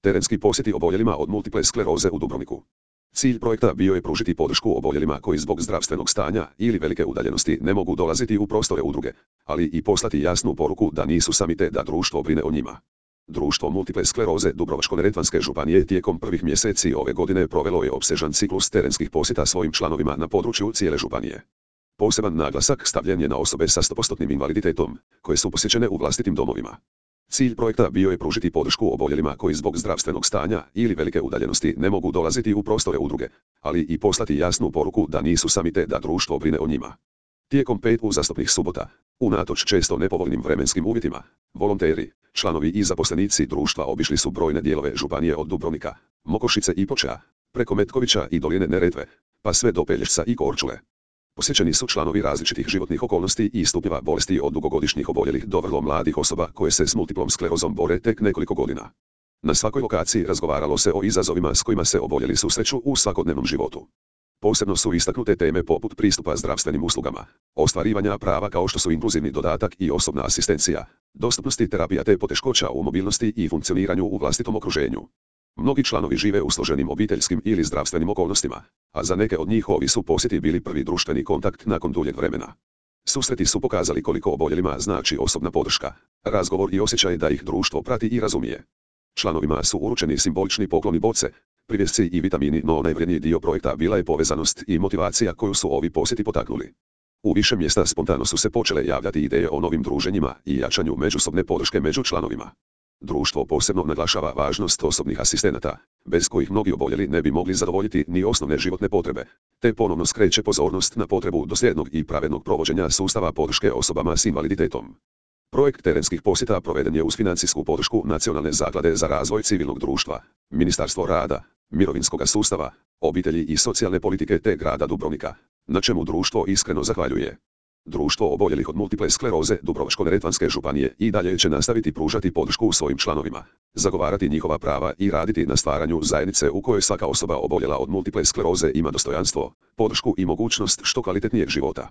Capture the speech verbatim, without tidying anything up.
Terenski posjeti oboljelima od multiple skleroze u Dubrovniku. Cilj projekta bio je pružiti podršku oboljelima koji zbog zdravstvenog stanja ili velike udaljenosti ne mogu dolaziti u prostore udruge, ali i poslati jasnu poruku da nisu sami te da društvo brine o njima. Društvo multiple skleroze Dubrovačko-neretvanske županije tijekom prvih mjeseci ove godine provelo je opsežan ciklus terenskih posjeta svojim članovima na području cijele županije. Poseban naglasak stavljen je na osobe sa sto postotnim invaliditetom, koje su posjećene u vlastitim domovima. Cilj projekta bio je pružiti podršku oboljelima koji zbog zdravstvenog stanja ili velike udaljenosti ne mogu dolaziti u prostore udruge, ali i poslati jasnu poruku da nisu sami te da društvo brine o njima. Tijekom pet uzastopnih subota, unatoč često nepovoljnim vremenskim uvjetima, volonteri, članovi i zaposlenici društva obišli su brojne dijelove županije od Dubrovnika, Mokošice i Ploča, preko Metkovića i doline Neretve, pa sve do Pelješca i Korčule. Posjećeni su članovi različitih životnih okolnosti i stupnjeva bolesti od dugogodišnjih oboljelih do vrlo mladih osoba koje se s multiplom sklerozom bore tek nekoliko godina. Na svakoj lokaciji razgovaralo se o izazovima s kojima se oboljeli susreću u svakodnevnom životu. Posebno su istaknute teme poput pristupa zdravstvenim uslugama, ostvarivanja prava kao što su inkluzivni dodatak i osobna asistencija, dostupnosti terapija te poteškoća u mobilnosti i funkcioniranju u vlastitom okruženju. Mnogi članovi žive u složenim obiteljskim ili zdravstvenim okolnostima, a za neke od njih ovi su posjeti bili prvi društveni kontakt nakon duljeg vremena. Susreti su pokazali koliko oboljelima znači osobna podrška, razgovor i osjećaj da ih društvo prati i razumije. Članovima su uručeni simbolični pokloni boce, privjesci i vitamini, no najvrjedniji dio projekta bila je povezanost i motivacija koju su ovi posjeti potaknuli. U više mjesta spontano su se počele javljati ideje o novim druženjima i jačanju međusobne podrške među članovima. Društvo posebno naglašava važnost osobnih asistenata, bez kojih mnogi oboljeli ne bi mogli zadovoljiti ni osnovne životne potrebe, te ponovno skreće pozornost na potrebu dosljednog i pravednog provođenja sustava podrške osobama s invaliditetom. Projekt terenskih posjeta proveden je uz financijsku podršku Nacionalne zaklade za razvoj civilnog društva, Ministarstvo rada, mirovinskog sustava, obitelji i socijalne politike te grada Dubrovnika, na čemu društvo iskreno zahvaljuje. Društvo oboljelih od multiple skleroze Dubrovačko-neretvanske županije i dalje će nastaviti pružati podršku svojim članovima, zagovarati njihova prava i raditi na stvaranju zajednice u kojoj svaka osoba oboljela od multiple skleroze ima dostojanstvo, podršku i mogućnost što kvalitetnijeg života.